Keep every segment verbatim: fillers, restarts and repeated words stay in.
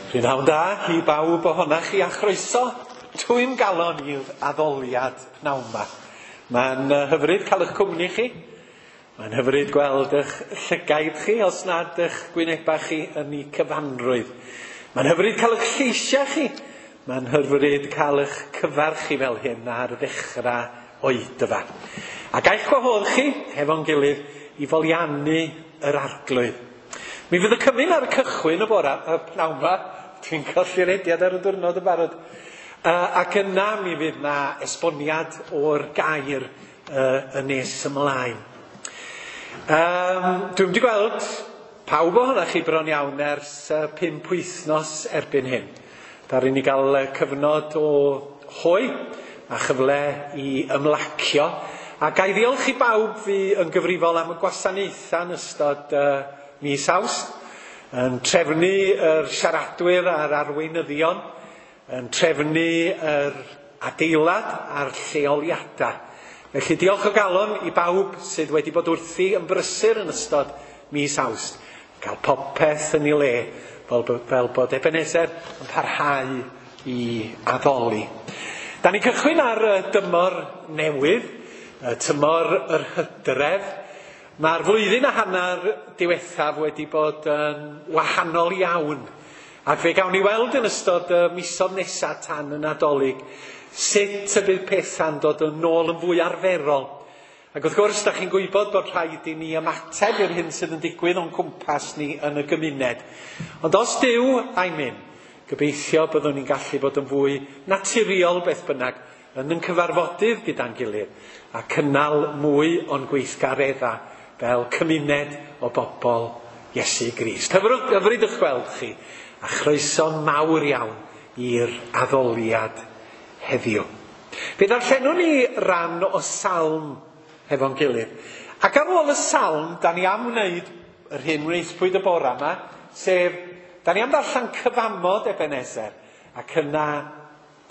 Prynhawn da i bawb ohonoch chi a chroeso twym galon i'r addoliad pnawn 'ma. Mae'n hyfryd cael eich cwmni chi. Mae'n hyfryd gweld eich llygaid chi os nad eich gwynebau chi yn eu cyfanrwydd. Mae'n hyfryd cael eich lleisiau chi. Mae'n hyfryd cael eich cyfarch chi fel hyn ar ddechrau oedfa. A gaich gwahodd chi hefo'n gilydd i foliannu yr arglwydd. Mi fydd y cymun ar y cychwyn y bora, y pnawn 'ma, dwi'n colli'r rediad ar y diwrnod yn barod. Uh, ac yna mi fydd na esboniad o'r gair uh, yn nes ymlaen. Um, dwi'n wedi gweld pawb ohonoch chi bron iawn ers uh, pump wythnos erbyn hyn. Daru ni gael cyfnod o hoe a chyfle i ymlacio. A ga i ddiolch i bawb fi yn gyfrifol am y gwasanaethau yn ystod uh, mis Awst, yn trefnu yr siaradwyr a'r arweinyddion, yn trefnu yr adeilad a'r lleoliadau. Felly diolch o galon i bawb sydd wedi bod wrthi yn brysur yn ystod mis Awst. Cael popeth yn ei le, fel, fel bod Ebenezer yn parhau i addoli. Da ni'n cychwyn ar y dymor newydd, y tymor yr hydref. Mae'r flwyddyn a hanner diwethaf wedi bod yn wahanol iawn. Ac fe gawn ni weld yn ystod y misoedd nesaf tan y Nadolig sut y bydd pethau'n dod yn ôl yn fwy arferol. Ac wrth gwrs, da chi'n gwybod bod rhaid i ni ymateb i'r hyn sydd yn digwydd o'n cwmpas ni yn y gymuned. Ond os Duw a'i mynd, gobeithio byddwn ni'n gallu bod yn fwy naturiol beth bynnag yn yn cyfarfodydd gyda'n gilydd a cynnal mwy o'n gweithgareddau fel cymuned o bobl Iesu Grist. Hyfryd, hyfryd eich gweld chi, a chroeso mawr iawn i'r addoliad heddiw. Fe ddarllenwn ni ran o salm hefo'n gilydd. Ac ar ôl y salm, da ni am wneud yr hyn wnaethpwyd y bora yma, sef, da ni am ddarllen cyfamod Ebenezer, ac yna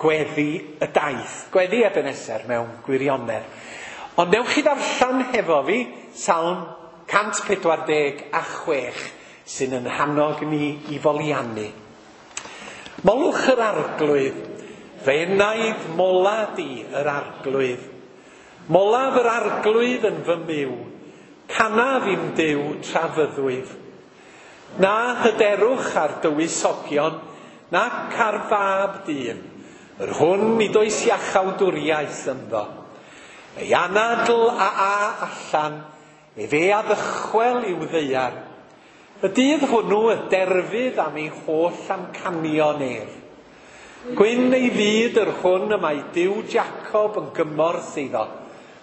gweddi y daith, gweddi Ebenezer mewn gwirionedd. Ond newch chi ddarllen hefo fi Salm cant pedwar deg a chwech sy'n yn hannog ni i foliannu. Molwch yr arglwydd, fe enaid mola di yr arglwydd. Molaf yr arglwydd yn fy myw, canaf i'm Duw tra fyddwyf. Na hyderwch ar dywysogion, nac ar fab dyn, yr hwn nid oes iachawdwriaeth ynddo. Ei anadl a a allan, efe a ddychwel i'w ddaear. Y dydd hwnnw y derfydd am ei holl amcanion ef. Gwyn ei fyd yr hwn y mae Duw Jacob yn gymorth iddo,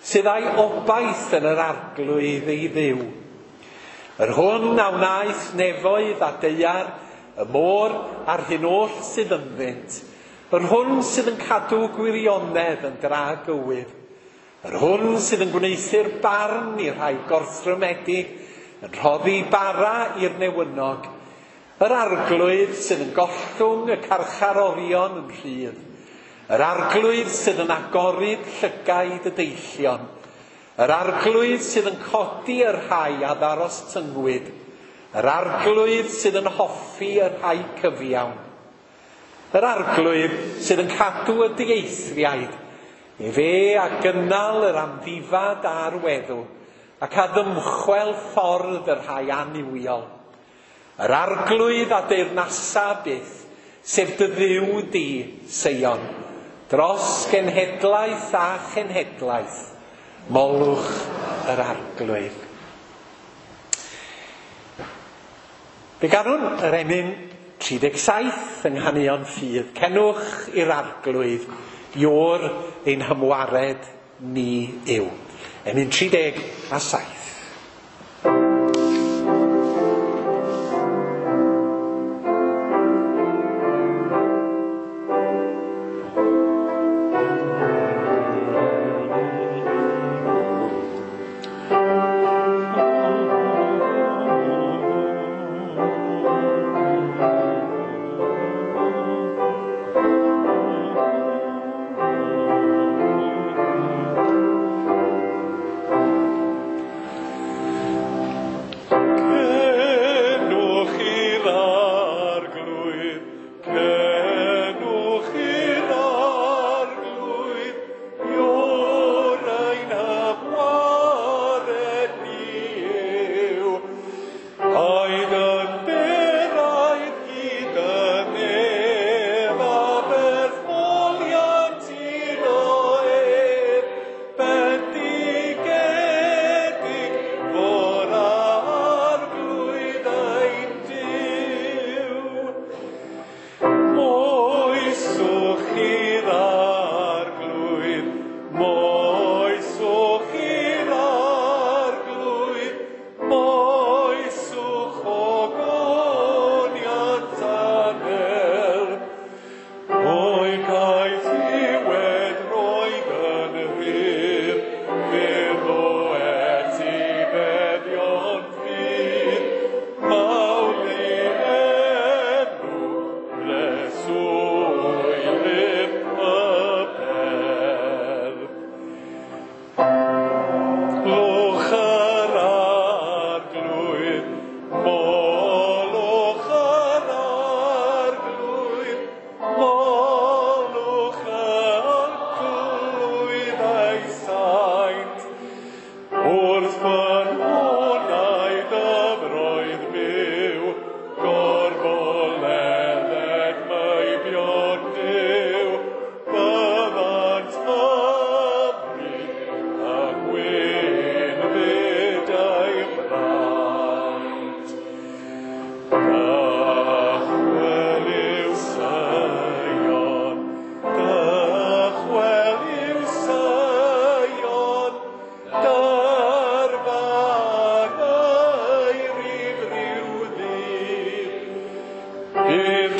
sydd â'i obaith yn yr arglwydd ei Dduw. Yr hwn a wnaeth nefoedd a daear, y môr a'r hyn oll sydd ynddynt, yr hwn sydd yn cadw gwirionedd yn dragywydd, yr hwn sydd yn gwneuthur barn i'r rhai gorthrymedig, yn rhoddi bara i'r newynog, yr arglwydd sydd yn gollwng y carcharorion yn rhydd, yr arglwydd sydd yn agoryd llygaid y deillion, yr arglwydd sydd yn codi y rhai a ddarostyngwyd, yr arglwydd sydd yn hoffi y rhai cyfiawn, yr arglwydd sydd yn cadw y dieithriaid, efe a gynnal yr amddifad a'r weddw, ac a ddymchwel ffordd y rhai annuwiol. Yr arglwydd a deyrnasa byth, sef dy Dduw di, Seion, dros genhedlaeth a chenhedlaeth, molwch yr arglwydd. Fe ganwn yr emyn tri deg saith yng Nghanuon Ffydd, cenwch i'r arglwydd, Iôr ein hymwared ni yw. Emyn tri deg a saith.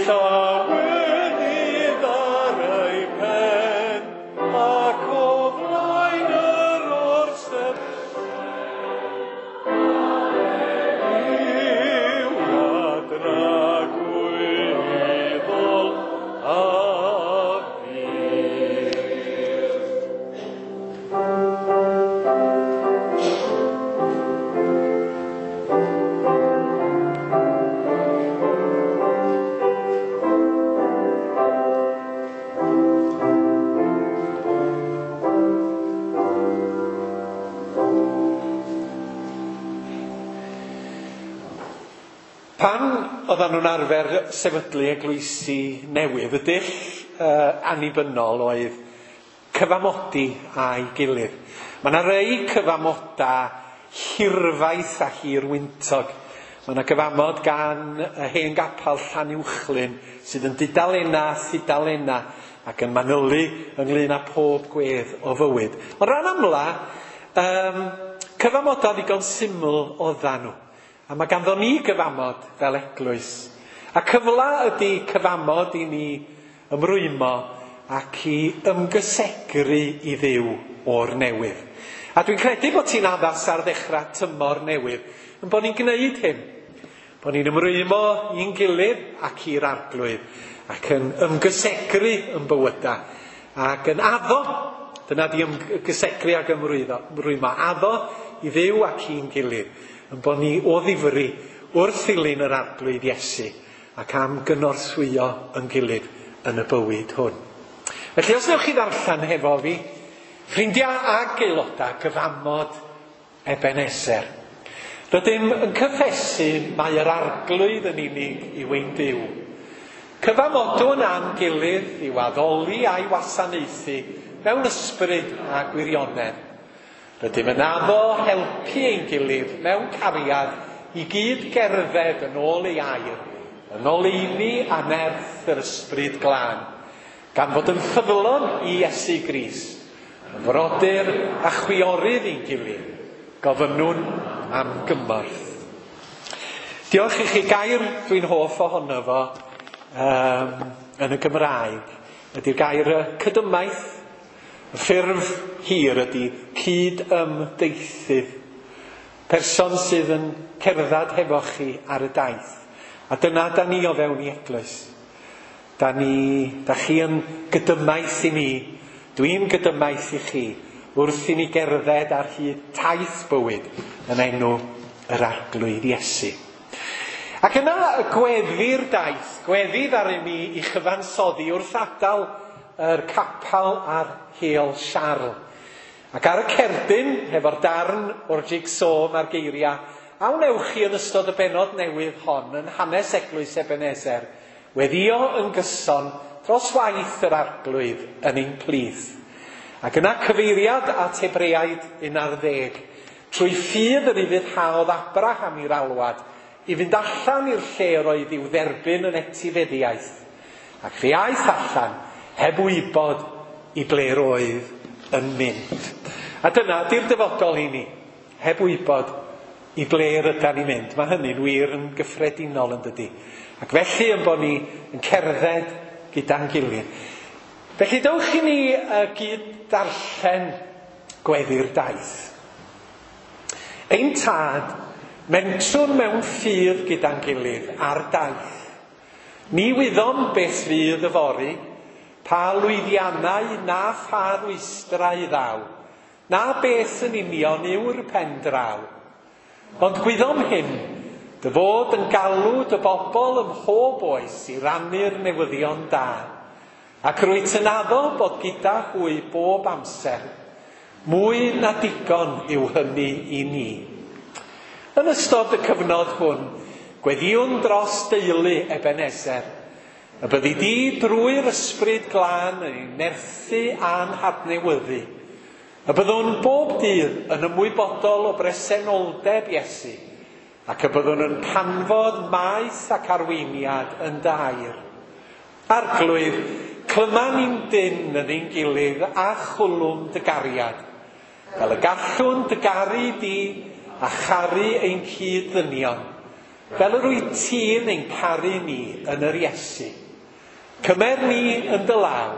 Llawenydd ar ei pen, ac o flaen yr orsedd i'w adragwyddol a fydd. Pan oedden nhw'n arfer sefydlu eglwysi newydd, y dull uh, annibynnol oedd cyfamodi â'i gilydd. Mae yna rei cyfamoda hirfaith a hirwyntog. Mae yna gyfamod gan y hen gapel Llanuwchllyn sydd yn dudalena a thudalena ac yn manylu ynglyn â pob gwedd o fywyd. Ond ran amla, um, cyfamoda ddigon syml oedden nhw. A mae ganddo ni gyfamod fel eglwys. A cyfla ydy cyfamod i ni ymrwymo ac i ymgysegru i Dduw o'r newydd. A dwi'n credu bod ti'n addas ar ddechrau tymor newydd, yn bod ni'n gwneud hyn. Bod ni'n ymrwymo i'n gilydd ac i'r Arglwydd, ac yn ymgysegru yn bywyda, ac yn addo, dyna di ymgysegru ac ymrwyddo, ymrwymo, addo i Dduw ac i'n gilydd, yn bod ni o ddifri wrth ddilyn yr Arglwydd Iesu ac am gynorthwyo yn gilydd yn y bywyd hwn. Felly os newch chi ddarllen hefo fi, ffrindiau ag aelodau gyfamod Ebenezer. Rydym yn cyffesu mai yr Arglwydd yn unig yw ein Duw. Cyfamodwn am gilydd i'w addoli a'i wasanaethu mewn ysbryd a gwirionedd. Rydym yn addo helpu ein gilydd mewn cariad i gyd gerdded yn ôl ei air, yn oleuni a nerth yr ysbryd glân, gan fod yn ffyddlon i Iesu Grist, yn frodyr a chwiorydd i'n gilydd, gofynnwn am gymorth. Diolch i chi. Gair dwi'n hoff ohono fo um, yn y Gymraeg ydy'r gair cydymaith. Y ffurf hir ydy cyd-ymdeithydd. Person sydd yn cerdded hefo chi ar y daith. A dyna da ni o fewn i eglwys. Da ni, da chi yn gydymaith i mi. Dwi'n gydymaith i chi wrth i ni gerdded ar hyd taith bywyd yn enw yr Arglwydd Iesu. Ac yna y gweddi'r daith, gweddi ddaru ni i chyfansoddi wrth adael yr capel ar Heol Siarl. Ac ar y cerdyn, hefo'r darn o'r jigsaw mae'r geiriau, a wnewch chi yn ystod y bennod newydd hon yn hanes eglwys Ebenezer, weddio yn gyson dros waith yr Arglwydd yn ein plith. Ac yna cyfeiriad at Hebreaid un ar ddeg, trwy ffydd yr ufuddhaodd Abraham i'r alwad, i fynd allan i'r lle yr oedd i'w dderbyn yn etifeddiaeth. Ac fe aeth allan, heb wybod i ble'r oedd yn mynd. A dyna di'r dyfodol i ni, heb wybod i ble'r ydan ni'n mynd. Mae hynny'n wir yn gyffredinol yn dydi. Ac felly yn bod ni yn cerdded gyda'n gilydd. Felly dewch i ni uh, gyd darllen gweddi'r daith. Ein tad, mentrwn mewn ffydd gyda'n gilydd ar daith. Ni wyddom beth fydd yfory, pa lwyddiannau na pha rwystrau ddaw, na beth yn union yw'r pen draw. Ond gwyddom hyn, dy fod yn galw dy bobl ym mhob oes i rannu'r newyddion da, ac rwyt yn addo bod gyda hwy bob amser. Mwy na digon yw hynny i ni. Yn ystod y cyfnod hwn, gweddiwn dros deulu Ebenezer, y byddi di drwy'r ysbryd glân yn ei nerthu a'n hadnewyddu, y byddwn bob dydd yn ymwybodol o bresenoldeb Iesu, ac y byddwn yn canfod maes ac arweiniad yn dy air. Arglwydd, clyma ni'n dyn yn ein gilydd a chwlwm dy gariad, fel y gallwn dy garu di a charu ein cyd-ddynion, fel yr wyt ti'n ein caru ni yn yr Iesu. Cymer ni yn dy law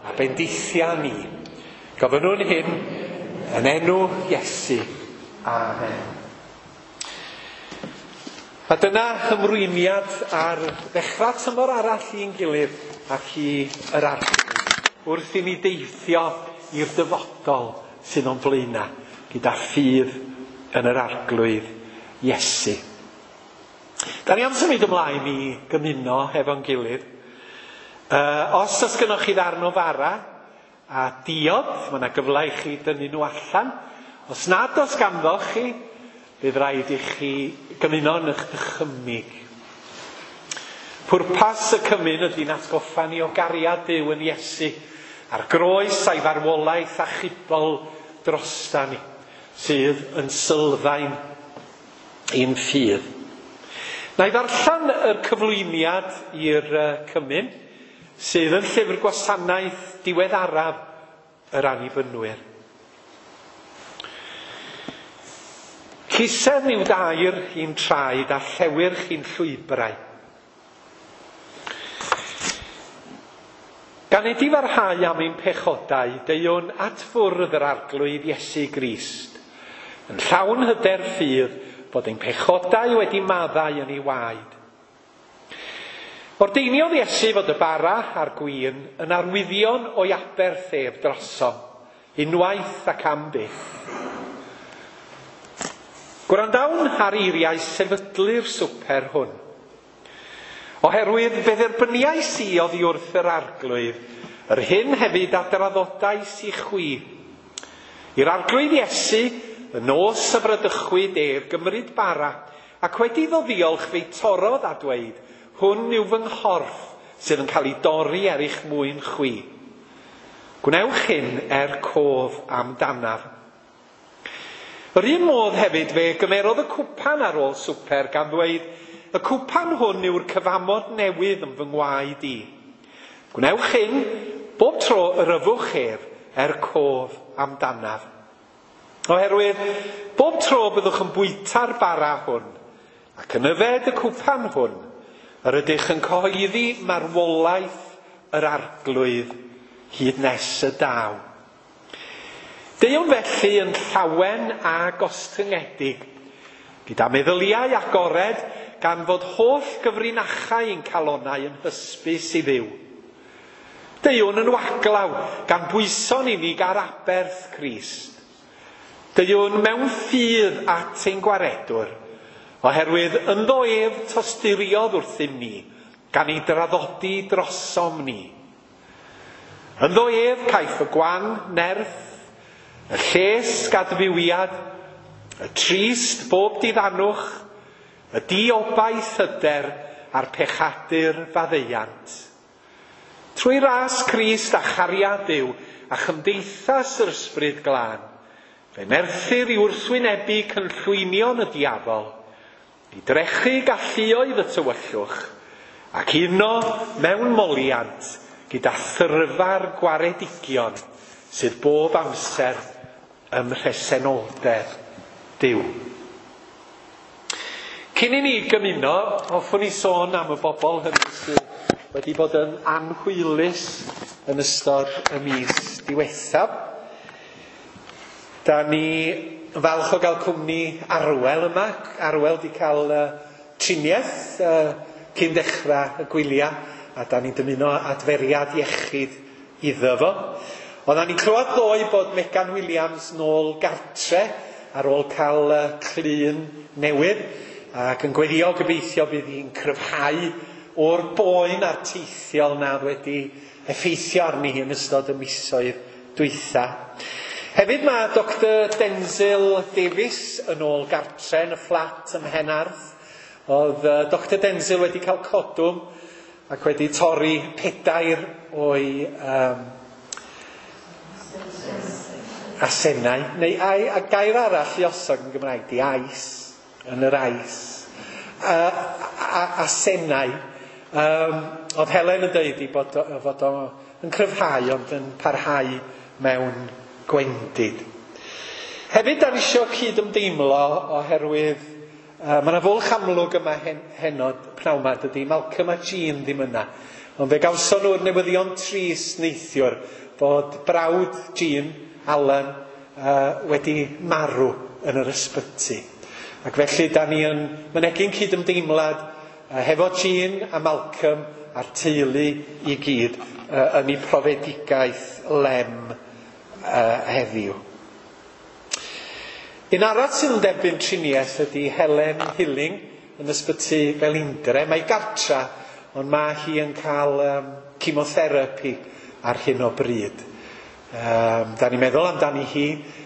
a bendithia ni. Gofynnwn hyn yn enw Iesu. Amen. A dyna ymrwymiad ar ddechrau tymor arall i'n gilydd ac i yr Arglwydd wrth i ni deithio i'r dyfodol sydd o'n blaenau gyda ffydd yn yr Arglwydd Iesu. Da ni am symud ymlaen i gymuno hefo'n gilydd. Uh, os oes gynnoch chi ddarn o fara a diod, mae yna gyfle i chi dynnu nhw allan. Os nad oes ganddoch chi, bydd rhaid i chi gymuno yn eich dychymyg. Pwrpas y cymun ydy'n atgoffa ni o gariad Duw yn Iesu a'r groes a'i farwolaeth achubol drosta ni, sydd yn sylfaen i'n ffydd. Na i ddarllen y cyflwyniad i'r cymun, sydd yn llyfr gwasanaeth diweddaraf yr Annibynwyr. Cisen yw dair i'n traed a llewyrch i'n llwybrau. Gan edifarhau am ein pechodau, deuwn at fwrdd yr Arglwydd Iesu Grist, yn llawn hyder ffydd bod ein pechodau wedi maddau yn ei waed. Ordeiniodd Iesu fod y bara a'r gwin yn arwyddion o'i aberth ef drosom, unwaith ac am byth. Gwrandawn ar eiriau sefydlu'r swper hwn. Oherwydd fe dderbyniais i oddi wrth yr Arglwydd, yr hyn hefyd a draddodais i chwi. I'r Arglwydd Iesu, y nos y bradychwyd ef gymryd bara, ac wedi iddo ddiolch fe'i torrodd a dweud, hwn yw fy nghorff sydd yn cael ei dorri er eich mwyn chwi. Gwnewch hyn er cof amdanaf. Yr un modd hefyd fe gymerodd y cwpan ar ôl swper gan ddweud, y cwpan hwn yw'r cyfamod newydd yn fy ngwaed i. Gwnewch hyn bob tro yr yfwch ef er cof amdanaf. Oherwydd, bob tro byddwch yn bwyta'r bara hwn ac yn yfed y cwpan hwn, yr ydych yn cyhoeddi marwolaeth yr Arglwydd hyd nes y daw. Deuwn felly yn llawen a gostyngedig, gyda meddyliau agored gan fod holl gyfrinachau ein calonau yn hysbys i Dduw. Deuwn yn waglaw gan bwyso'n unig ar aberth Crist. Deuwn mewn ffydd at ein gwaredwr, oherwydd ynddo ef tosturiodd wrthym ni, gan ei draddodi drosom ni. Ynddo ef caiff y gwan nerth, y lles gadfywiad, y trist bob diddanwch, y diobaith hyder a'r pechadur faddeuant. Trwy ras Crist a chariad Duw a chymdeithas yr Ysbryd Glân, fe nerthir i wrthwynebu cynllwynion y diafol, i drechu galluoedd y tywyllwch, ac uno mewn moliant gyda thyrfa'r gwaredigion sydd bob amser ym mhresenoldeb Duw. Cyn i ni gymuno, hoffwn i sôn am y bobl hynny sydd wedi bod yn anhwylus yn ystod y mis diwethaf. Da ni falch o gael cwmni Arwel yma. Arwel di cael uh, triniaeth uh, cyn dechrau y gwyliau, a da ni'n dymuno adferiad iechyd iddo fo. Oeddan ni'n clywed ddoe bod Megan Williams nôl gartre ar ôl cael uh, clun newydd, ac yn gweddio gobeithio bydd hi'n cryfhau o'r boen a'r teithiol na wedi effeithio arni hi yn ystod y misoedd dwytha. Hefyd mae Doctor Denzil Davies yn ôl gartre yn y fflat ym Mhenarth. Oedd uh, Doctor Denzil wedi cael codwm ac wedi torri pedair o'i um, asennau. Neu ai, a gair arall i osod yn Gymraeg, di ais, yn yr ais. A, a, asennau. Um, oedd Helen yn dweud i bod, fod o yn cryfhau ond yn parhau mewn gwendid. Hefyd, da ni isio cyd-ymdeimlo oherwydd Uh, mae yna fwlch amlwg yma hen, henod pnawn 'ma, dydy Malcolm a Jean ddim yna. Ond fe gawson nhw'r newyddion trist neithiwr bod brawd Jean, Alan, uh, wedi marw yn yr ysbyty. Ac felly da ni yn mynegi'n cydymdeimlad uh, hefo Jean a Malcolm a'r teulu i gyd uh, yn eu profedigaeth lem uh, heddiw. Un arall sydd yn derbyn triniaeth ydy Helen Hilling yn ysbyty Felindre. Mae gartra, ond mae hi yn cael um, chemotherapy ar hyn o bryd. Um, da ni'n meddwl amdani hi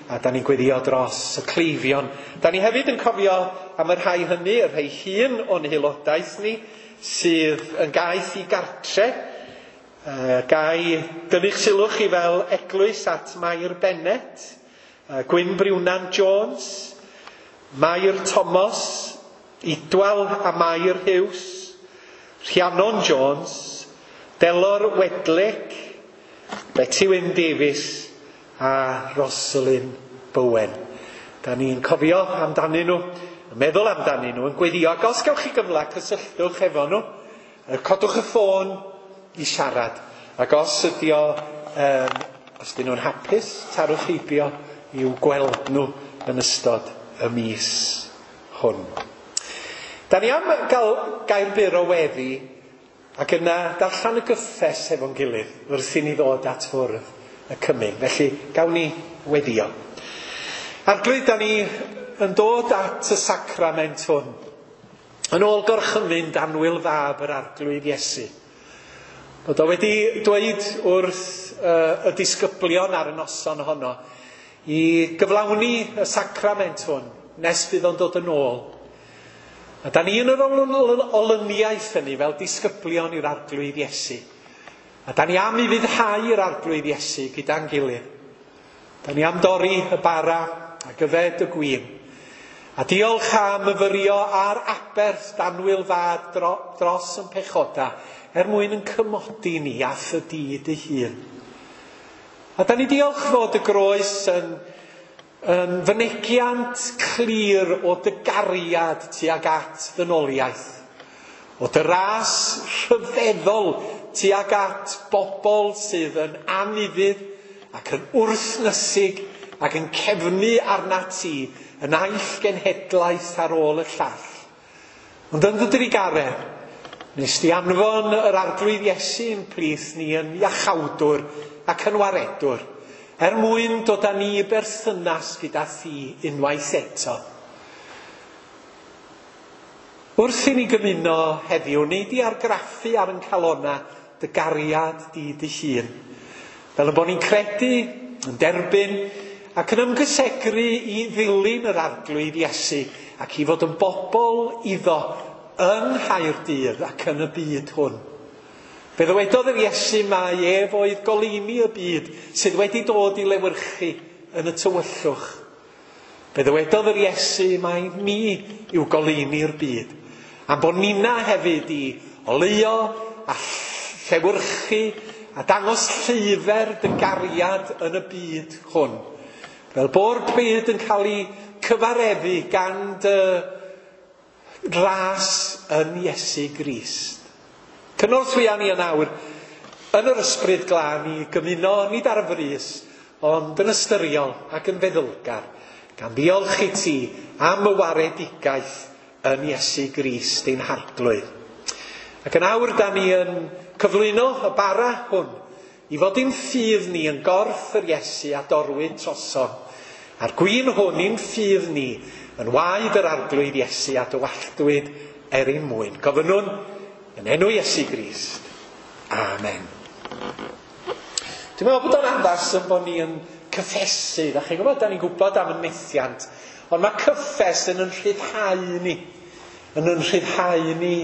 a da ni'n gweddio dros y cleifion. Da ni hefyd yn cofio am y rhai hynny, y rhai hyn o'n haelodaeth ni, sydd yn gaeth i gartre. Uh, gai dynnu'ch sylw chi fel eglwys at Mair Bennett, Gwyn Briwnan Jones, Mair Thomas, Idwal a Mair Hughes, Rhiannon Jones, Delor Wedlick, Betty Wyn Davies a Rosalind Bowen. Da ni'n cofio amdanyn nhw, yn meddwl amdanyn nhw, yn gweddio. Ac os gewch chi gyfle, cysylltwch efo nhw, codwch y ffôn i siarad. Ac os ydi o, um, os dyn nhw'n hapus, tarwch heibio i'w gweld nhw yn ystod y mis hwn. Da ni am gael gair byr o weddi ac yna darllen y gyffes efo'n gilydd wrth i ni ddod at fwrdd y cymun. Felly gawn ni weddio. Arglwydd, da ni yn dod at y sacrament hwn yn ôl gorchymyn danwyl fab yr Arglwydd Iesu. Bod o wedi dweud wrth uh, y disgyblion ar y noson honno i gyflawni y sacrament hwn nes bydd o'n dod yn ôl. A da ni yn yr olyniaeth hynny fel disgyblion i'r Arglwydd Iesu. A da ni am i fuddhau i'r Arglwydd Iesu gyda'n gilydd. Da ni am dorri y bara ac yfed y gwin. A diolch am myfyrio ar aberth danwyl fad dro, dros yn pechoda er mwyn yn cymodi ni a thy dy hun. A da ni diolch fod y groes yn, yn fynegiant clir o dy gariad tuag at ddynoliaeth. O dy ras rhyfeddol tuag at bobl sydd yn anufudd ac yn wrthnysig ac yn cefnu arnat ti yn naill genhedlaeth ar ôl y llall. Ond yn dy drugaredd, nes di anfon yr Arglwydd Iesu yn plith ni yn iachawdwr ac yn waredwr, er mwyn dod â ni i berthynas gyda thi unwaith eto. Wrth i ni gymuno heddiw, nei di argraffu ar yn calona dy gariad di dy hun. Fel y bod ni'n credu, yn derbyn, ac yn ymgysegru i ddilyn yr Arglwydd Iesu ac i fod yn bobl iddo yng Nghaerdydd ac yn y byd hwn. Fe ddywedodd yr Iesu mai ef oedd goleuni y byd sydd wedi dod i lewyrchu yn y tywyllwch. Fe ddywedodd yr Iesu mai ni yw goleuni'r byd. Am bod nina hefyd i oleuo a llewyrchu a dangos lleifer dy gariad yn y byd hwn. Fel bo'r byd yn cael ei cyfareddu gan dy ras yn Iesu Grist. Cynorthwya ni yn awr yn yr ysbryd glân i gymuno nid ar frys, ond yn ystyriol ac yn feddylgar, gan ddiolch i ti am y waredigaeth yn Iesu Grist ein Harglwydd. Ac yn awr da ni yn cyflwyno y bara hwn i fod ein ffydd ni yn gorff yr Iesu a dorwyd trosom. A'r gwin hwn i'n ffydd ni yn waed yr Arglwydd Iesu a dywalltwyd er ein mwyn. Gofynnwn yn enw Iesu Grist. Amen. Dwi'n meddwl bod o'n addas yn bod ni yn cyffesu. Da chi'n gwybod, da ni'n gwybod am y methiant. Ond mae cyffes yn yn rhyddhau ni. Yn yn rhyddhau ni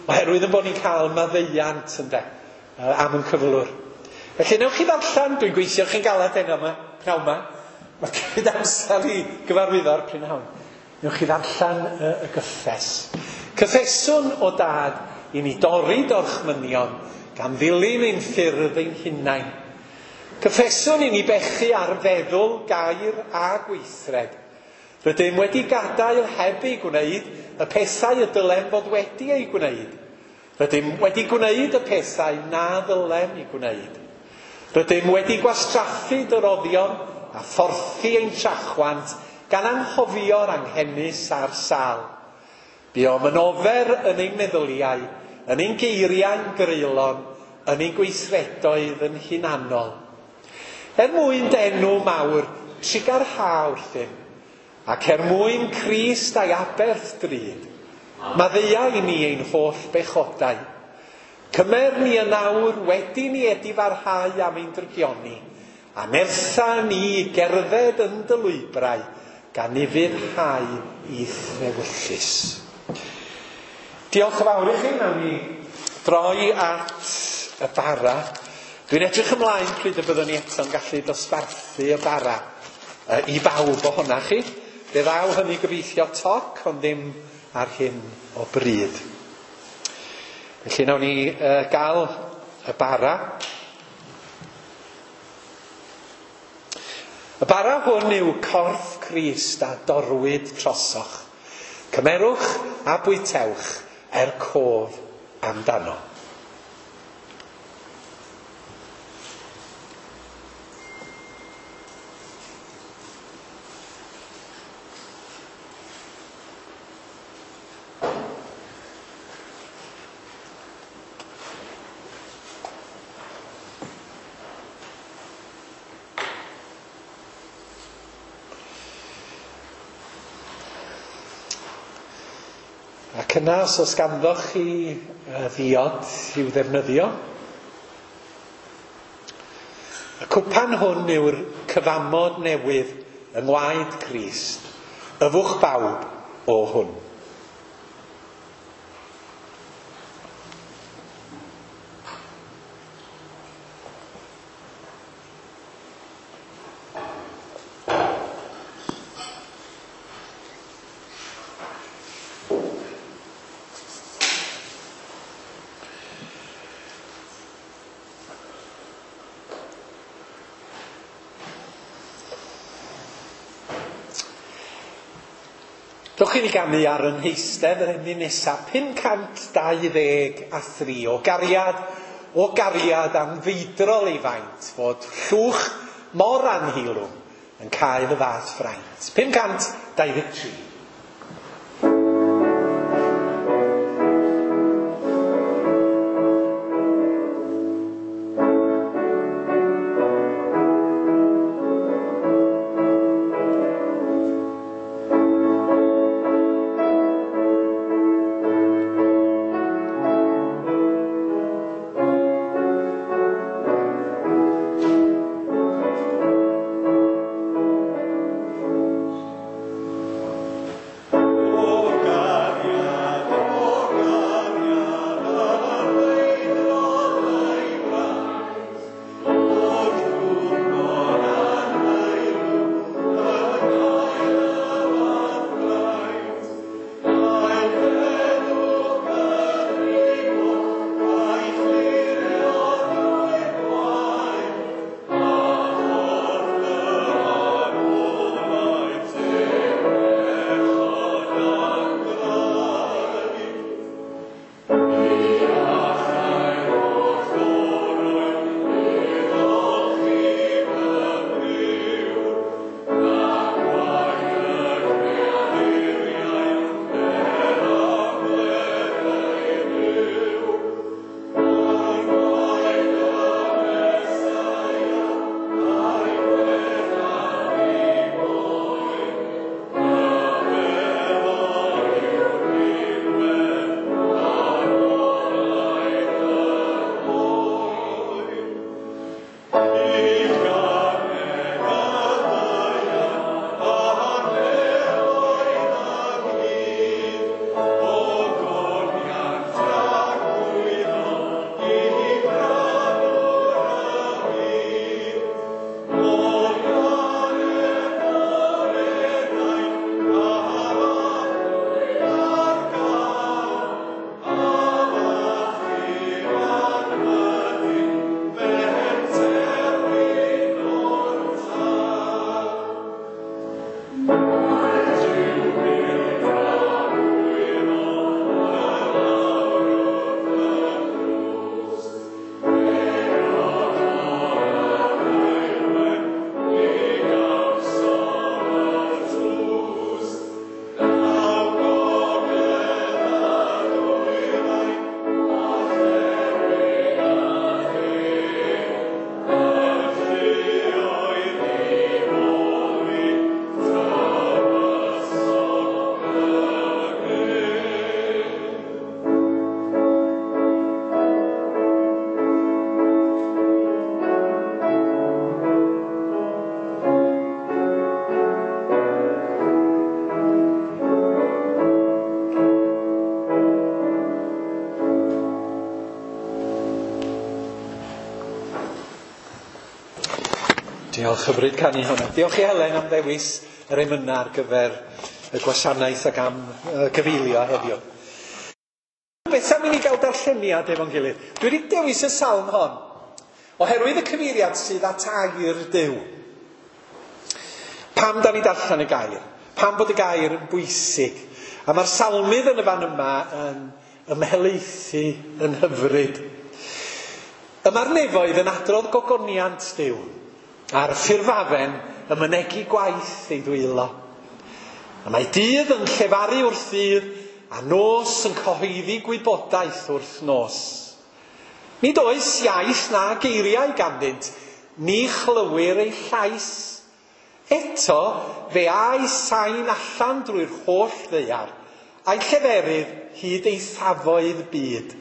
oherwydd yn bod ni'n cael maddeuant ynde, am yn cyflwr. Felly newch chi ddarllen, dwi'n gweithio chi'n galad heno yma, pnawn yma. Mae cymryd amser i gyfarwyddo'r prynhawn. Newch chi ddarllen y, y gyffes. Cyffeswn o dad i ni dorri dorchmynion gan ddilyn ein ffyrdd ein hunain. Cyffeswn i ni bechu ar feddwl, gair a gweithred. Rydym wedi gadael heb ei gwneud y pethau y dylem fod wedi eu gwneud. Rydym wedi gwneud y pethau na ddylem eu gwneud. Rydym wedi gwastraffu dy roddion a phorthi ein trachwant gan anghofio'r anghenus a'r sâl. Buom yn ofer yn ein meddyliau, yn ein geiriau'n greulon, yn ein gweithredoedd yn hunanol. Er mwyn dy enw mawr, trugarha wrthym, ac er mwyn Crist a'i aberth drud, maddeuai i ni ein holl bechodau. Cymer ni yn awr wedi ni edifarhau am ein drygioni, a nertha ni i gerdded yn dy lwybrau, gan ufuddhau i'th ewyllys. Diolch yn fawr i chi. Nawn ni droi at y bara. Dwi'n edrych ymlaen pryd y byddwn ni eto'n gallu dosbarthu y bara i bawb ohonach chi. Fe ddaw hynny gobeithio toc, ond ddim ar hyn o bryd. Felly nawn ni uh, gael y bara. Y bara hwn yw corff Crist a dorwyd trosoch. Cymerwch a bwytewch er cof amdano. Ac yna, os oes ganddoch chi ddiod i'w ddefnyddio, y cwpan hwn yw'r cyfamod newydd yng ngwaed Crist. Yfwch bawb o hwn. Dewch i ni ganu ar yn heistedd yr emyn nesaf, pum cant dau ddeg a thri, o gariad, o gariad anfeidrol ei faint, fod llwch mor anheilwng yn cael y fath fraint. pum cant dau ddeg tri. Diolch, hyfryd canu hwnna. Diolch i Helen am ddewis yr emynau ar gyfer y gwasanaeth ac am uh, gyfeilio heddiw. Beth am i ni gael darlleniad efo'n gilydd? Dwi wedi dewis y salm hon oherwydd y cyfeiriad sydd at air Duw. Pam da ni darllen y gair? Pam bod y gair yn bwysig? A mae'r salmydd yn y fan yma yn ymhelaethu yn hyfryd. Y mae'r nefoedd yn adrodd gogoniant Duw, a'r ffurfafen yn mynegi gwaith ei ddwylo. A mae dydd yn llefaru wrth ddydd, a nos yn cyhoeddi gwybodaeth wrth nos. Nid oes iaith na geiriau ganddynt, ni chlywir ei llais. Eto, fe a'i sain allan drwy'r holl ddaear, a'i lleferydd hyd eithafoedd byd.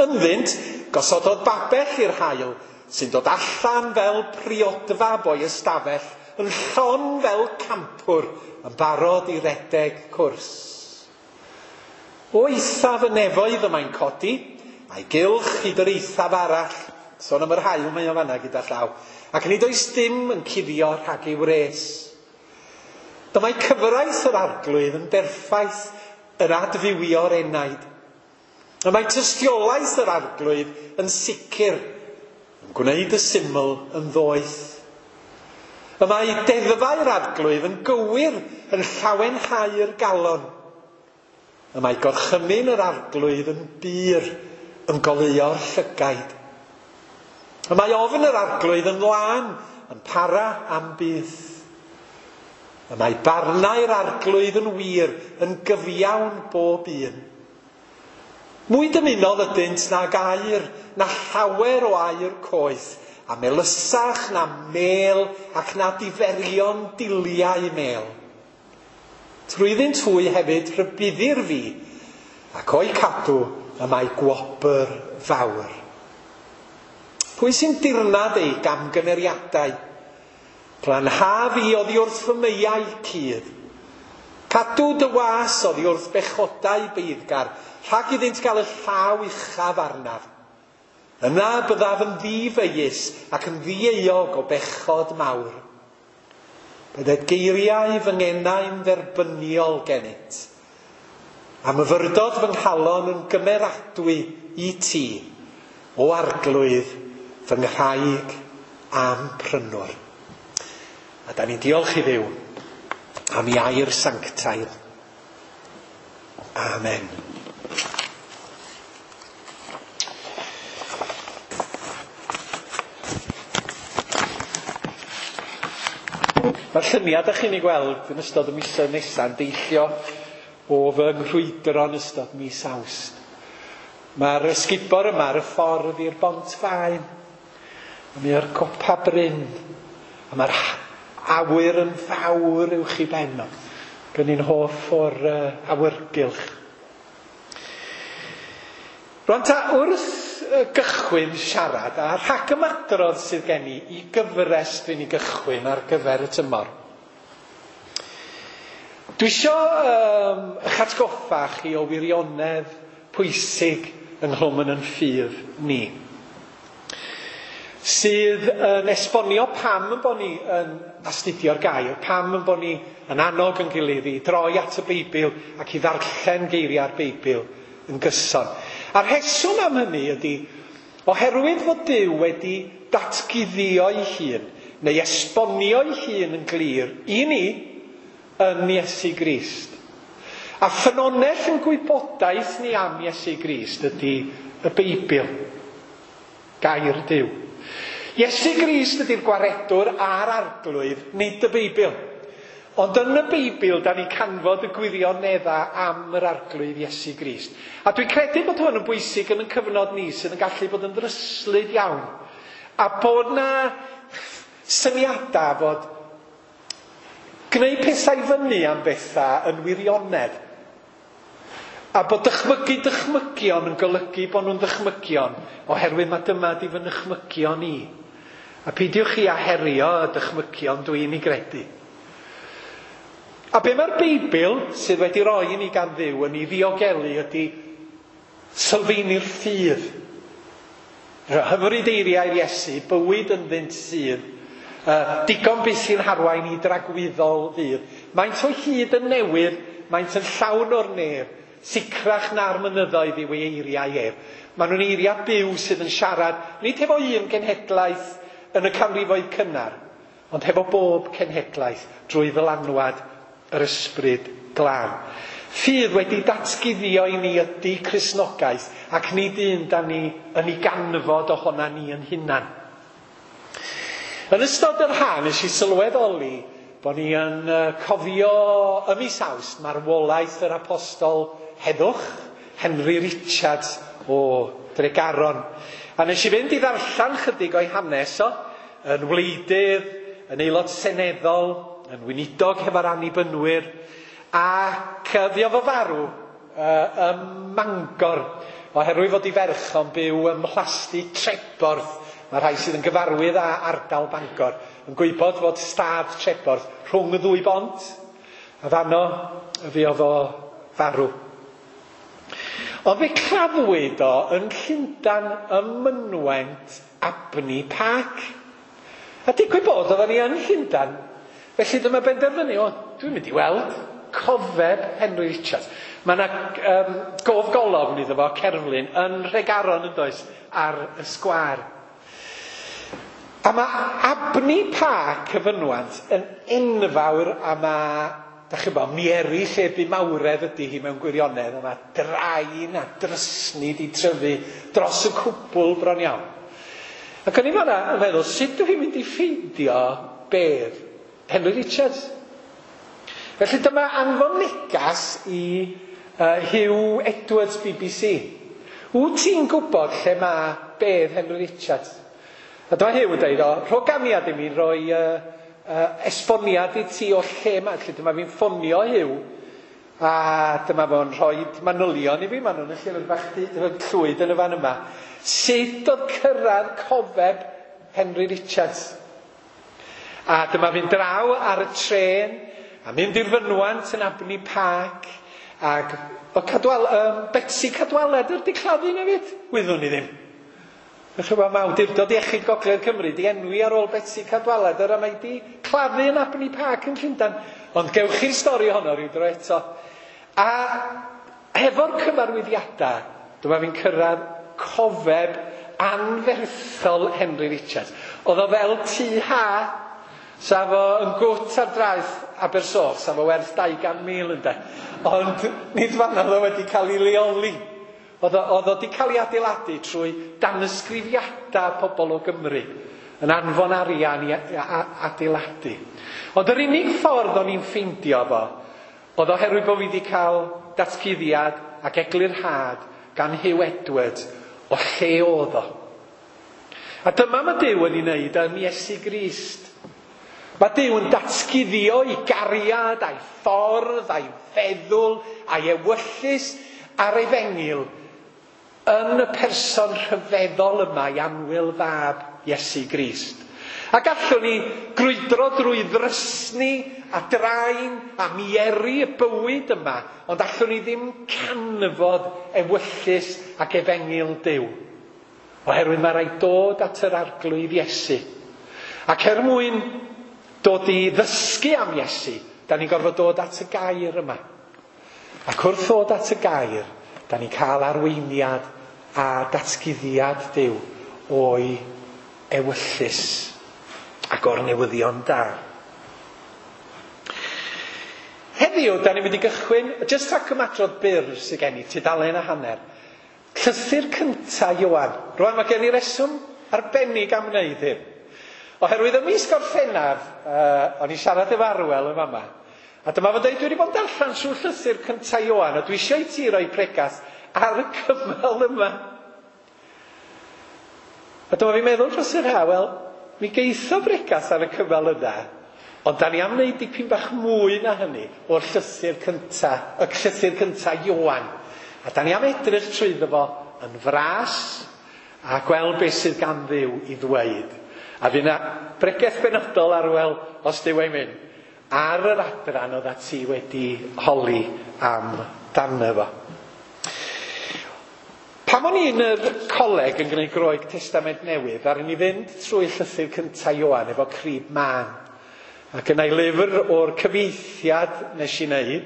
Ynddynt, gosododd babell i'r haul, sy'n dod allan fel priodfab o'i ystafell, yn llon fel campwr, yn barod i redeg cwrs. O eithaf y nefoedd y mae'n codi, a'i gylch hyd yr eithaf arall, sôn am yr haul mae o fanna gyda llaw, ac nid oes dim yn cuddio rhag ei wres. Dyma'i cyfraith yr arglwydd yn berffaith yn adfywio'r enaid. Y mae tystiolaeth yr arglwydd yn sicr, yn gwneud y syml yn ddoeth. Y mae deddfau'r arglwydd yn gywir yn llawenhau'r galon. Y mae gorchymyn yr arglwydd yn bur, yn goleuo'r llygaid. Y mae ofn yr arglwydd yn lân, yn para am byth. Y mae barnau'r arglwydd yn wir, yn gyfiawn bob un. Mwy dymunol ydynt nag aur, na llawer o aur coeth, a melysach na mel ac na diferion diliau mel. Trwyddynt hwy hefyd rhybuddir fi, ac o'i cadw y mae gwobr fawr. Pwy sy'n dirnad ei gamgymeriadau? Glanha fi oddi wrth fy meiau cudd. Cadw dy was oddi wrth bechodau beiddgar, rhag iddynt gael y llaw uchaf arnaf. Yna byddaf yn ddifeius ac yn ddieuog o bechod mawr. Bydded geiriau fy ngenau'n dderbyniol gennyt, a myfyrdod fy nghalon yn gymeradwy i ti, o arglwydd fy nghraig a'm prynwr. A da ni'n diolch i Dduw am ei air sanctaidd. Amen. Mae'r lluniau da chi'n ei gweld yn ystod y misoedd nesaf yn deillio o fy nghrwydro yn ystod mis Awst. Mae'r ysgubor yma ar y ffordd i'r Bont Faen, a mae o'r copa bryn, a mae'r awyr yn fawr uwch i ben o. Gen i'n hoff o'r uh, awyrgylch. Rwan ta, wrth gychwyn siarad, a rhagymadrodd sydd gen i i gyfres dwi'n ei gychwyn ar gyfer y tymor. Dwi isio um, eich atgoffa chi o wirionedd pwysig ynghlwm yn yn ffydd ni, sydd yn esbonio pam yn bod ni yn astudio'r gair, pam yn bod ni yn annog yn gilydd i droi at y Beibl ac i ddarllen geiriau'r Beibl yn gyson. A'r rheswm am hynny ydy, oherwydd fod Duw wedi datguddio'i hun, neu esbonio'i hun yn glir i ni yn Iesu Grist. A ffynhonnell yn gwybodaeth ni am Iesu Grist ydy y Beibl, gair Duw. Iesu Grist ydy'r gwaredwr a'r arglwydd, nid y Beibl. Ond yn y Beibl, da ni'n canfod y gwirioneddau am yr arglwydd Iesu Grist. A dwi'n credu bod hwn yn bwysig yn y cyfnod ni sydd yn gallu bod yn ddryslyd iawn. A bod na syniadau fod gwneud pethau fyny am bethau yn wirionedd. A bod dychmygu dychmygion yn golygu bod nhw'n ddychmygion, oherwydd mae dyma di fy nychmygion i. A peidiwch chi â herio y dychmygion dwi'n ei gredu. A be mae'r Beibl sydd wedi roi i ni gan Dduw yn ei ddiogelu ydy sylfaenu'r ffydd. Hyfryd eiriau'r Iesu, bywyd ynddynt sydd, Uh, digon byth sy'n harwain i dragwyddol ddydd. Maent o hyd yn newydd, maent yn llawn o'r nef, sicrach na'r mynyddoedd yw ei eiriau ef. Maen nhw'n eiriau byw sydd yn siarad, nid hefo un genhedlaeth yn y canrifoedd cynnar, ond hefo bob cenhedlaeth drwy ddylanwad yr ysbryd glân. Ffydd wedi datguddio i ni ydy Cristnogaeth, ac nid un da ni yn ei ganfod ohona ni yn hunan. Yn ystod yr ha, nes i sylweddoli bod ni yn cofio ym mis Awst marwolaeth yr apostol heddwch, Henry Richards o Dregaron. A nes i fynd i ddarllen chydig o'i hanes o, yn wleidydd, yn aelod seneddol, yn weinidog hefo'r annibynwyr, ac fuodd o farw uh, ym Mangor, oherwydd fod ei ferch o'n byw ym Mhlasty Treborth. Mae rhai sydd yn gyfarwydd â ardal Bangor yn gwybod fod stad Treborth rhwng y ddwy bont, a fanno fuodd o farw. Ond fe claddwyd o yn Llundain ym mynwent Abney Park. A digwydd bod oedden ni yn Llundain, felly dyma benderfynu, o, dwi'n mynd i weld cofeb Henry Richards. Mae yna um, gof golofn iddo fo, cerflun, yn Nhregaron yn does, ar y sgwâr. A mae Abney Park y fynwant yn enfawr, a mae, da chi'n bod, mieri lle bu mawredd ydy hi mewn gwirionedd, a mae drain a drysni di tryfu dros y cwbl bron iawn. Ac o'n i fan'na yn meddwl, sut dwi i'n mynd i ffeindio bedd Henry Richards? Felly dyma anfon negas i uh, Hugh Edwards B B C. Wyt ti'n gwybod lle mae bedd Henry Richards? A dyma Hugh yn dweud, o, rho ganiad i mi roi uh, uh, esboniad i ti o lle mae. Felly dyma fi'n ffonio Hugh, a dyma fo'n rhoi manylion i fi, maen nhw'n y llyfr bach llwyd yn y fan yma. Sut oedd cyrraedd cofeb Henry Richards? A dyma fi'n draw ar y trên, a mynd i'r fynwant yn Abney Park, ac o Cadwal, um, Betsi Cadwaladr di claddu na fyd? Wyddwn i ddim. Felly mae Awdurdod Iechyd Gogledd Cymru di enwi ar ôl Betsi Cadwaladr, a mae di claddu yn Abney Park yn Llundain. Ond gewch chi'r stori honno rhyw dro eto. A hefo'r cyfarwyddiadau, dyma fi'n cyrraedd cofeb anferthol Henry Richards. Oedd o fel tŷ ha, sa fo yn gwt ar draeth Abersoch, sa fo werth dau gan mil ynde. Ond nid fan'na oedd o wedi cael ei leoli. Oedd o wedi cael ei adeiladu trwy danysgrifiadau pobl o Gymru, yn anfon arian i adeiladu. Ond yr unig ffordd o'n i'n ffeindio fo, oedd oherwydd bod fi wedi cael datguddiad ac eglurhad gan Hugh Edwards o lle oedd o. A dyma mae Duw yn ei wneud yn Iesu Grist. Mae Duw yn datguddio ei gariad, a'i ffordd, a'i feddwl, a'i ewyllys a'r efengyl yn y person rhyfeddol yma, i annwyl fab Iesu Grist. A gallwn ni grwydro drwy ddrysni a drain a mieri y bywyd yma, ond allwn ni ddim canfod ewyllys ac efengyl Duw. Oherwydd mae rhaid dod at yr Arglwydd Iesu. Ac er mwyn dod i ddysgu am Iesu, da ni'n gorfod dod at y gair yma. Ac wrth ddod at y gair, da ni'n cael arweiniad a datguddiad Duw o'i ewyllys ac o'r newyddion da. Heddiw, da ni'n mynd i gychwyn, jyst rhac ymadrodd byr sydd gen i, tudalen a hanner. Llythyr cynta Ioan. Rwan mae gen i reswm arbennig am wneud hyn. Oherwydd ym mis Gorffennaf, uh, o'n i siarad efo Arwel yn fama, a dyma fo'n dweud, dwi wedi bod yn darllen trwy llythyr cynta Ioan, a dwi eisiau i ti roi pregath ar y cymal yma. A dyma fi'n meddwl dros yr ha, wel, mi geitho bregath ar y cymal yna, ond da ni am wneud dipyn bach mwy na hynny o'r llythyr cynta, y llythyr cynta Ioan. A da ni am edrych trwyddo fo yn fras a gweld beth sydd gan Dduw i ddweud. A fydd yna bregeth benodol Arwel, os Duw ei mynd, ar yr adran oedd ti wedi holi am dano fo. Pan o'n i yn yr coleg yn gwneud Groeg Testament Newydd, ddaru ni fynd trwy llythyr cyntaf Ioan efo crib mân. Ac yna i lyfr o'r cyfieithiad nes i wneud,